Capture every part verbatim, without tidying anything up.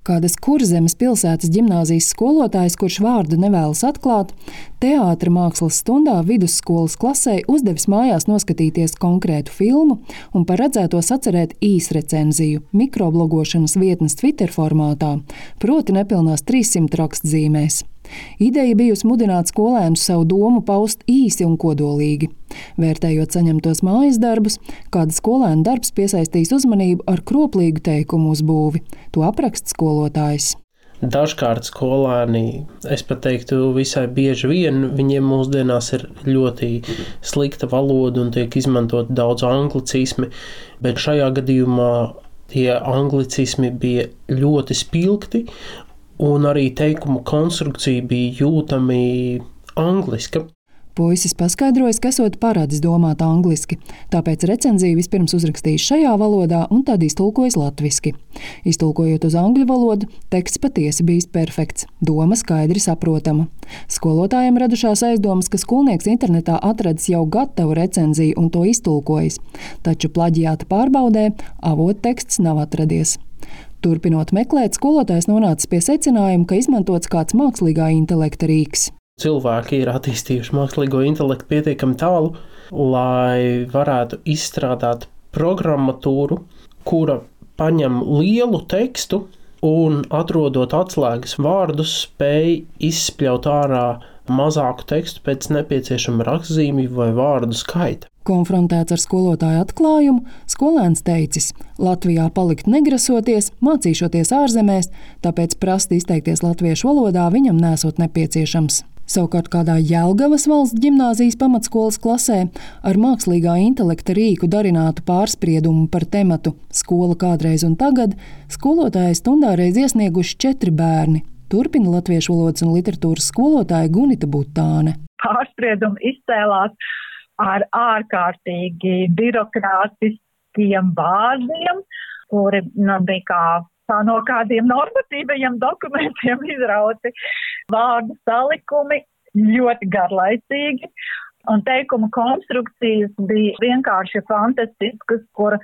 Kādas Kurzemes pilsētas ģimnāzijas skolotājs, kurš vārdu nevēlas atklāt, teātra mākslas stundā vidusskolas klasē uzdevis mājās noskatīties konkrētu filmu un par redzēto sacerēt īsrecenziju mikroblogošanas vietnes Twitter formātā, proti nepilnās trīssimt rakstzīmēs. Ideja bijusi mudināt skolēnus savu domu paust īsi un kodolīgi. Vērtējot saņemtos mājas darbus, kāda skolēna darbs piesaistīs uzmanību ar kroplīgu teikumu uzbūvi. To apraksta skolotājs. Dažkārt skolēni, es pat teiktu visai bieži vien, viņiem mūsdienās ir ļoti slikta valoda un tiek izmantot daudz anglicismi, bet šajā gadījumā tie anglicismi bija ļoti spilgti un arī teikumu konstrukcija bija jūtami angliska. Puisis paskaidrojas, ka esot paradis domāt angliski, tāpēc recenziju vispirms uzrakstījis šajā valodā un tad iztulkojis latviski. Iztulkojot uz angļu valodu, teksts patiesi bijis perfekts, doma skaidri saprotama. Skolotājiem radušās aizdomas, ka skolnieks internetā atradis jau gatavu recenziju un to iztulkojis, taču plaģiāta pārbaudē avotteksts nav atradies. Turpinot meklēt, skolotājs nonācis pie secinājuma, ka izmantots kāds mākslīgā intelekta rīks. Cilvēki ir attīstījuši mākslīgo intelektu pietiekami tālu, lai varētu izstrādāt programmatūru, kura paņem lielu tekstu un, atrodot atslēgas vārdus, spēj izspļaut ārā mazāku tekstu pēc nepieciešama rakstzīmju vai vārdu skaita. Konfrontēts ar skolotāju atklājumu, skolēns teicis, Latvijā palikt negrasoties, mācīšoties ārzemēs, tāpēc prasti izteikties latviešu valodā viņam nesot nepieciešams. Savukārt kādā Jelgavas valsts ģimnāzijas pamatskolas klasē ar mākslīgā intelekta rīku darinātu pārspriedumu par tematu Skola kādreiz un tagad skolotāja stundā reiz iesnieguši četri bērni. Turpina latviešu valodas un literatūras skolotāja Gunita Butāne. Pārspriedumi izcēlās ar ārkārtīgi birokrātiskiem bāziem, kuri nu, bija kā tā no kādiem normatīvajiem dokumentiem izrauti vārdu salikumi, ļoti garlaicīgi, un teikuma konstrukcijas bija vienkārši fantastiskas, kur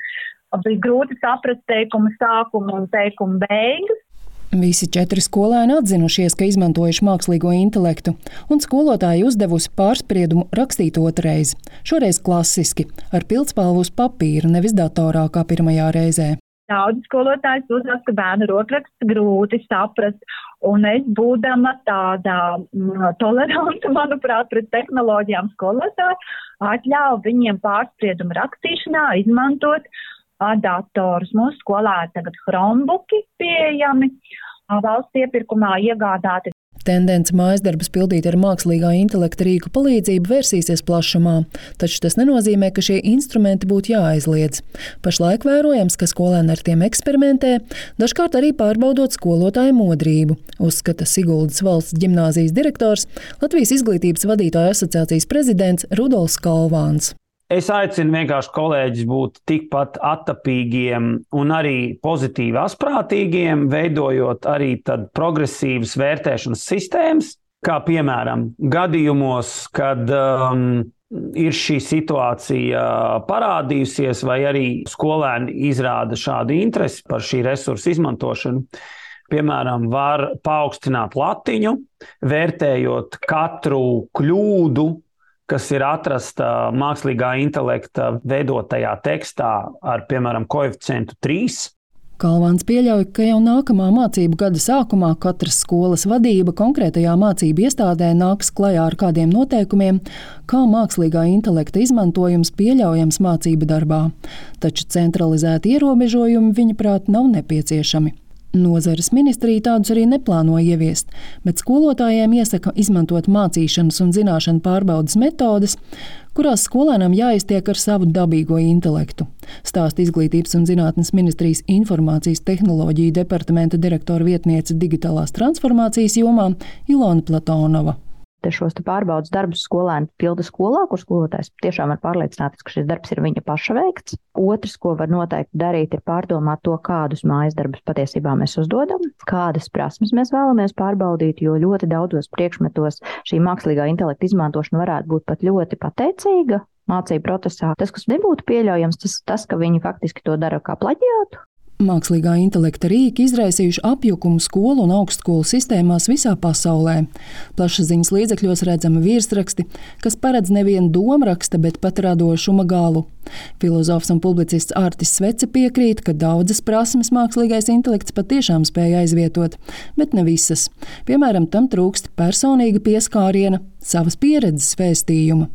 bija grūti saprast teikuma sākumu un teikuma beigas. Visi četri skolēni atzinušies, ka izmantojuši mākslīgo intelektu, un skolotāji uzdevusi pārspriedumu rakstīt otrais, šoreiz klasiski, ar pildspalvu uz papīra, nevis datorā kā pirmajā reizē. Daudz skolotājs uzsver, ka bērnu rokraksts grūti saprast, un es būdama tāda toleranta, manuprāt, pret tehnoloģijām skolotāji, atļauju viņiem pārspriedumu rakstīšanā izmantot datorus. Mūsu skolā ir tagad Chromebooki pieejami, valsts iepirkumā iegādāti. Tendence mājasdarbus pildīt ar mākslīgā intelekta rīku palīdzību vērsīsies plašumā, taču tas nenozīmē, ka šie instrumenti būtu jāaizliedz. Pašlaik vērojams, ka skolēni ar tiem eksperimentē, dažkārt arī pārbaudot skolotāju modrību, uzskata Siguldas valsts ģimnāzijas direktors, Latvijas izglītības vadītāju asociācijas prezidents Rudolfs Kalvāns. Es aicinu vienkārši kolēģis būt tikpat attapīgiem un arī pozitīvi asprātīgiem, veidojot arī tad progresīvas vērtēšanas sistēmas, kā piemēram gadījumos, kad um, ir šī situācija parādījusies vai arī skolēni izrāda šādu interesi par šī resursa izmantošanu. Piemēram, var paaugstināt latiņu, vērtējot katru kļūdu, kas ir atrasta mākslīgā intelekta veidotajā tekstā ar, piemēram, koeficientu trīs. Kalvāns pieļauj, ka jau nākamā mācību gada sākumā katras skolas vadība konkrētajā mācību iestādē nāks klajā ar kādiem noteikumiem, kā mākslīgā intelekta izmantojums pieļaujams mācību darbā. Taču centralizēti ierobežojumi, viņaprāt, nav nepieciešami. Nozares ministrija tādus arī neplāno ieviest, bet skolotājiem iesaka izmantot mācīšanas un zināšanu pārbaudes metodes, kurās skolēnam jāiztiek ar savu dabīgo intelektu. Stāsta Izglītības un zinātnes ministrijas informācijas tehnoloģiju departamenta direktora vietniece digitālās transformācijas jomā Ilona Platonova. Šos pārbaudas darbus skolēni pilda skolā, kur skolotājs tiešām var pārliecināties, ka šis darbs ir viņa paša veikts. Otrs, ko var noteikti darīt, ir pārdomāt to, kādus mājas darbus patiesībā mēs uzdodam, kādas prasmes mēs vēlamies pārbaudīt, jo ļoti daudzos priekšmetos šī mākslīgā intelekta izmantošana varētu būt pat ļoti pateicīga mācību procesā. Tas, kas nebūtu pieļaujams, tas, tas ka viņi faktiski to dara kā plaģiātu. Mākslīgā intelekta rīki izraisījuši apjukumu skolu un augstskolu sistēmās visā pasaulē. Plašsaziņas līdzekļos redzami virsraksti, kas paredz nevienu domraksta, bet pat radošuma galu. Filozofs un publicists Artis Svece piekrīt, ka daudzas prasmes mākslīgais intelekts patiešām spēja aizvietot, bet ne visas. Piemēram, tam trūkst personīga pieskāriena, savas pieredzes vēstījuma.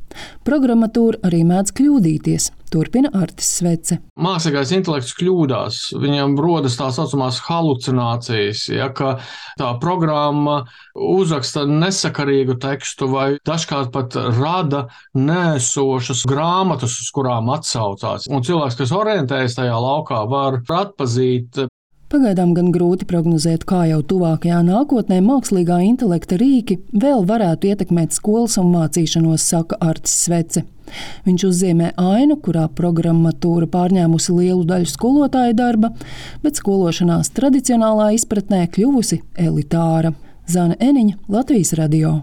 Programmatūra arī mēdz kļūdīties, turpina Artis Svece. Mākslīgais intelekts kļūdās, viņam rodas tā saucamās halucinācijas, ja, ka tā programma uzraksta nesakarīgu tekstu vai dažkārt pat rada nēsošas grāmatas, uz kurām atsaucās. Un cilvēks, kas orientējas tajā laukā, var atpazīt. Pagaidām gan grūti prognozēt, kā jau tuvākajā nākotnē mākslīgā intelekta rīki vēl varētu ietekmēt skolas un mācīšanos, saka Artis Svece. Viņš uzzīmē ainu, kurā programmatūra pārņēmusi lielu daļu skolotāju darba, bet skološanās tradicionālā izpratnē kļuvusi elitāra. Zane Eniņa, Latvijas radio.